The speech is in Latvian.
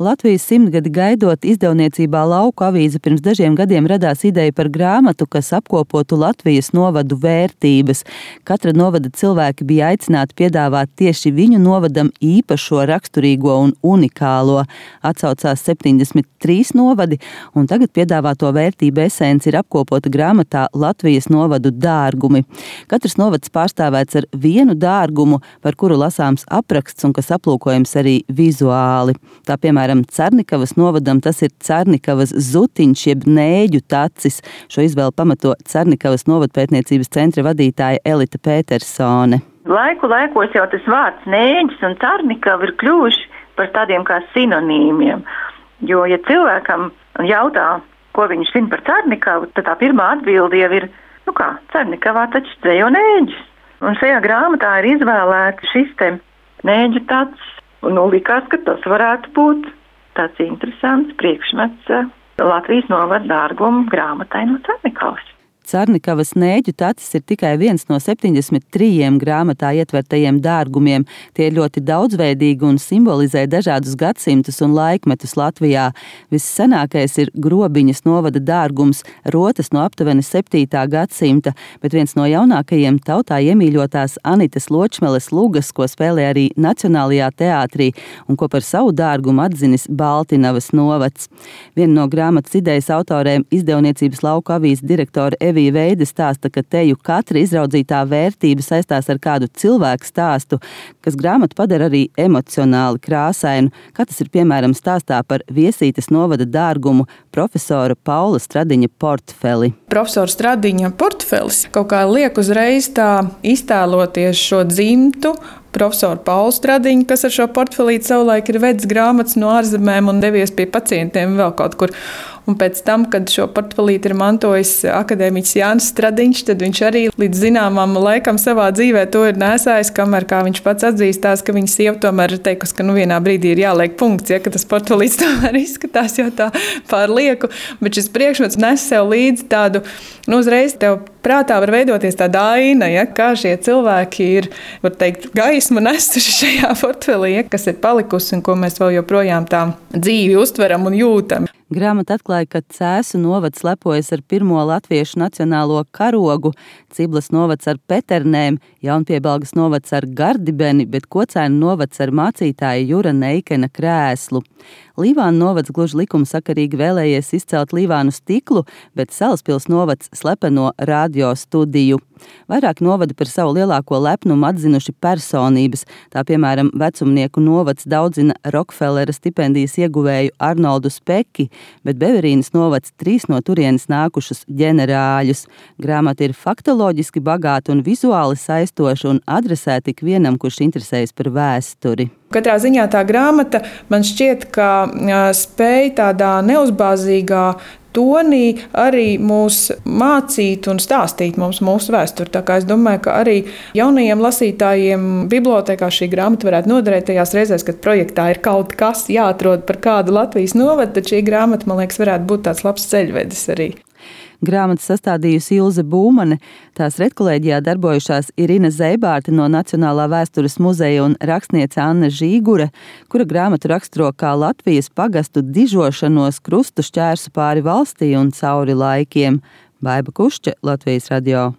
Latvijas 100 gadi gaidot, izdevniecībā Lauku avīze pirms dažiem gadiem radās ideja par grāmatu, kas apkopotu Latvijas novadu vērtības. Katra novada cilvēki bija aicināti piedāvāt tieši viņu novadam īpašo, raksturīgo un unikālo. Atsaucās 73 novadi, un tagad piedāvāto vērtību esenci ir apkopota grāmatā Latvijas novadu dārgumi. Katrs novads pārstāvēts ar vienu dārgumu, par kuru lasāms apraksts un kas aplūkojams arī vizuāli. Tā piemēram, Cernikavas novadam tas ir Cernikavas zutiņš jeb nēģu tacis. Šo izvēli pamato Cernikavas novadpētniecības centra vadītāja Elita Petersone. Laikos jau tas vārds nēģis un Cernikava ir kļuvuši par tādiem kā sinonīmiem. Jo, ja cilvēkam jautā, ko viņš zina par Cernikavu, tad tā pirmā atbilde jau ir, Cernikavā taču dzejo nēģis. Un šajā grāmatā ir izvēlēts šis te nēģu tacis. Un likās, ka tas varētu būt tāds interesants priekšmets Latvijas novada dārgumu grāmatai no Cernikavas. Cernikavas nēģu tacis ir tikai viens no 73 grāmatā ietvertajiem dārgumiem. Tie ir ļoti daudzveidīgi un simbolizē dažādus gadsimtus un laikmetus Latvijā. Vissenākais ir Grobiņas novada dārgums, rotas no aptuveni 7. gadsimta, bet viens no jaunākajiem tautā iemīļotās Anitas Ločmeles lugas, ko spēlē arī Nacionālajā teātrī un ko par savu dārgumu atzinis Baltinavas novads. Viena no grāmatas idejas autorēm, izdevniecības Lauku avīzes direktore Evija Veide stāsta, ka teju katra izraudzītā vērtība saistās ar kādu cilvēku stāstu, kas grāmatu padara arī emocionāli krāsainu, kā tas ir piemēram stāstā par Viesītes novada dārgumu profesora Paula Stradiņa portfeli. Profesora Stradiņa portfelis kaut kā liek uzreiz tā iztēloties šo dzimtu, profesoru Paulu Stradiņu, kas ar šo portfelīti savulaik ir vedis grāmatas no ārzemēm un devies pie pacientiem vēl kaut kur. Un pēc tam, kad šo portfelīti ir mantojis akadēmiķis Jānis Stradiņš, tad viņš arī līdz zināmam laikam savā dzīvē to ir nesājis, kamēr kā viņš pats atzīstās, ka viņa sieva tomēr ir teikusi, ka vienā brīdī ir jāliek punkts, ka tas portfelīts tomēr izskatās jau tā pārlieku, bet šis priekšmets nes sev līdzi tādu, uzreiz tev prātā var veidoties tāda aina, kā šie cilvēki ir, var teikt, gaismu nesuši šajā portfelī, kas ir palikusi un ko mēs vēl joprojām tā dzīvi uztveram un jūtam. Grāmata atklāja, ka Cēsu novads lepojas ar pirmo latviešu nacionālo karogu, Ciblas novads ar peternēm, Jaunpiebalgas novads ar gardibeni, bet Kocēnu novads ar mācītāja Jura Neikena krēslu. Līvānu novads gluži likumsakarīgi vēlējies izcelt Līvānu stiklu, bet Salaspils novads slepeno radio studiju. Vairāk novadi par savu lielāko lepnumu atzinuši personības. Tā piemēram, Vecumnieku novads daudzina Rokfellera stipendijas ieguvēju Arnoldu Speki, bet Beverīnas novads 3 no turienes nākušus ģenerāļus. Grāmata ir faktoloģiski bagāta un vizuāli saistoša un adresēta ikvienam, kurš interesējas par vēsturi. Katrā ziņā tā grāmata man šķiet, ka spēj tādā neuzbāzīgā tonī arī mūs mācīt un stāstīt mums mūsu vēsturi. Tā kā es domāju, ka arī jaunajiem lasītājiem bibliotēkā šī grāmata varētu noderēt tajās reizēs, kad projektā ir kaut kas jāatrod par kādu Latvijas novadu, tad šī grāmata, man liekas, varētu būt tāds labs ceļvedis arī. Grāmatu sastādījusi Ilze Būmane, tās redkolēģijā darbojušās Irina Zeibārte no Nacionālā vēstures muzeja un rakstniece Anna Žīgure, kura grāmatu raksturo kā Latvijas pagastu dižošanos krustu šķērsu pāri valstī un cauri laikiem. Baiba Kušķe, Latvijas radio.